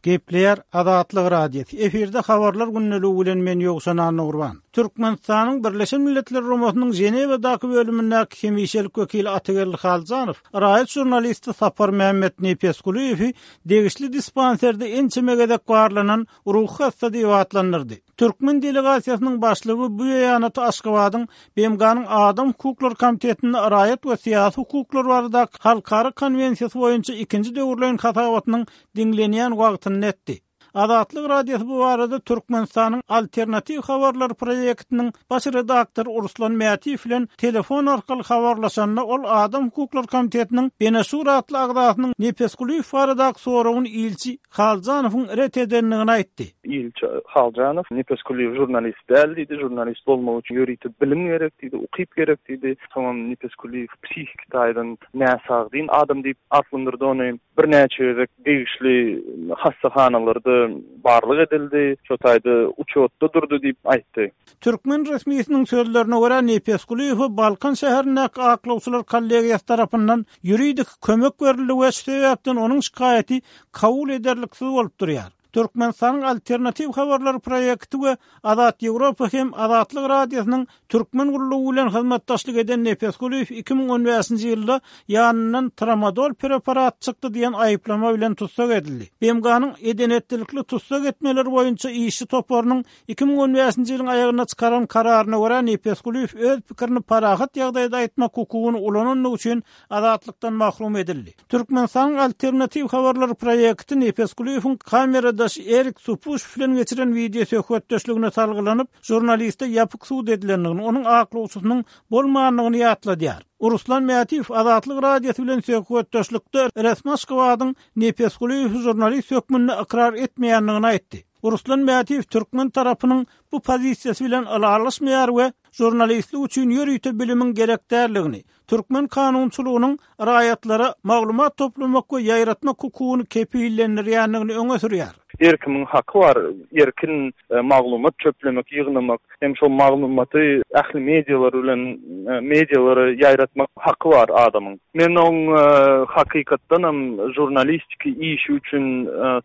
Gepleýär Azatlyk Radiosy, efirde Habarlar gündeligi bilen men Ýowşan Annagurban. Türkmenistanyň Birleşen Milletler Guramasynyň Ženewadaky bölümindäki hemişelik wekili Atageldi Haljanow raýat žurnalisti Saparmämmet Nepesgulyýewi degişli dispanserde ençeme gezek barlanan ruhy hassa diýip atlandyrdy. Türkmen delegasiýasynyň başlygy bu beýanaty Aşgabadyň BMG-niň Adam hukuklary komitetinde raýat we syýasy hukuklar baradaky halkara konwensiýasy boýunça ikinji döwürleýin hasabatynyň diňlenýän wagtynda etdi. Azatlyk Radiosy bu barada Türkmenistanyň Alternatiw habarlary proýektiniň baş redaktory Ruslan Mätiýew bilen telefon arkaly habarlaşanda, ol Adam hukuklary komitetiniň Beneşur atly agzasynyň Nepesgulyýew baradaky soragyny ilçi Haljanowyň ret edendigini aýtdy. Ilçi Haljanow, Nepesgulyýew žurnalist däl diýdi, žurnalist bolmak üçin ýörite bilim gerek diýdi, ukyp gerek diýdi. Soňam Nepesgulyýew psihiki taýdan näsagdyn adam diýip atlandyrdy ony. Birnäçe gezek degişli hassahanalarda barlag edildi, şo taýda uçýotda durdy diýip aýtdy. Türkmen resmisiniň sözlerine görä, Nepesgulyýewe Balkan şäherindäki aklawçylar kollegiýasy tarapyndan ýuridik kömek berildi we şu sebäpden onuň şikaýaty kabul ederliksiz bolup durýar. Türkmenistanyň Alternatiw habarlary proýekti we Azat Ýewropa hem Azatlyk Radiosynyň Türkmen gullugy bilen hyzmatdaşlyk eden Nepesgulyýew 2015-nji ýylda ýanyndan tramadol preparat çykdy diýen aýyplama bilen tussag edildi. BMG-niň eden-etdilikli tussag etmeler boýunça işçi toparynyň 2015-nji ýylyň aýagynda çykaran kararyna görä, Nepesgulyýew öz pikirini parahat ýagdaýda aýtmak hukugyny ulanandygy üçin azatlykdan mahrum edildi. Türkmenistanyň Alternatiw habarlary proýekti Nepesgulyýewiň kameradaşy Erik Supuşew bilen geçiren wideo söhbetdeşligine salgylanyp, žurnaliste ýapyk sud edilendigini, onuň aklawçysynyň bolmandygyny ýatladýar. Ruslan Mätiýew Azatlyk Radiosy bilen söhbetdeşlikde resmi Aşgabadyň Nepesgulyýewi žurnalist hökmünde ykrar etmeýändigini aýtdy. Ruslan Mätiýew türkmen tarapynyň bu pozisiýasy bilen ylalaşmaýar we žurnalistlik üçin ýörite bilimiň gerek däldigini, türkmen kanunçylygynyň raýatlara maglumat toplamak we ýaýratmak hukugyny kepillendirýändigini öňe sürýär. Her kimiň haky bar erkin maglumat çöplemek, ýygnamak hem şol maglumaty ähli medialar bilen medialara ýaýratmak haky bar adamyň. Men oň hakykatdanam žurnalistiki işi üçin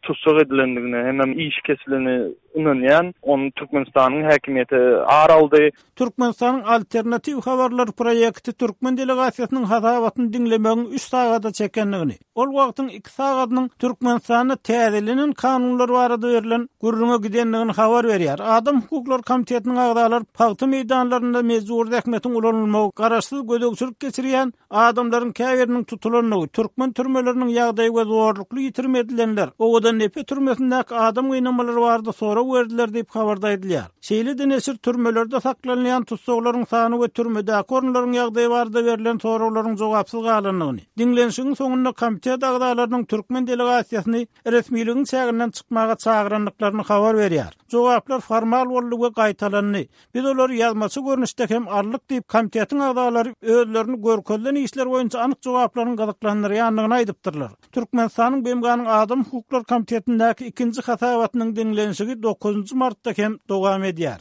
tussag edilendigine hemem işi kesilene ynanýan. Ony Türkmenistanyň häkimiýeti ar aldy. Türkmenistanyň Alternatiw habarlary proýekti türkmen delegasiýasynyň hasabatyny diňlemegiň üç sagada çekendigini, ol wagtyň iki sagadynyň Türkmenistanda täzelenen kanunlar barada berlen gürrüňe gidendigini habar berýär. Adam hukuklary komitetiniň agzalary pagta meýdanlarynda mejbury zähmetiň ulanylmagy, garaşsyz gözegçilik geçirýän Adamlaryň käbiriniň tutulandygy, türkmen türmeleriniň ýagdaýy we zorlukly ýitirim edilenler, Owadandepe türmesindäki adam gynamalary barada sorag berdiler diýip, habarda aýdylýar. Şeýle-de neşir türmelerde saklanylýan tussaglaryň sany we türmedäki orunlaryň ýagdaýy barada berlen soraglaryň jogapsyz galandygyny, diňlenişigiň soňunda komitet agzalarynyň türkmen delegasiýasyny resmiligiň çäginden çykmaga çagyrandyklaryny habar berýär. Jogaplar formal boldy we gaýtalandy. Biz olary ýazmaça görnüşde hem aldyk diýip, komitetiň agzalary özlerini görkezilen işler boýunça anyk jogaplaryň gyzyklandyrýandygyny aýdypdyrlar. Türkmenistanyň BMG-niň Adam hukuklary komitetindäki ikinji hasabatynyň diňlenişigi dokuzynjy martda hem dowam edýär.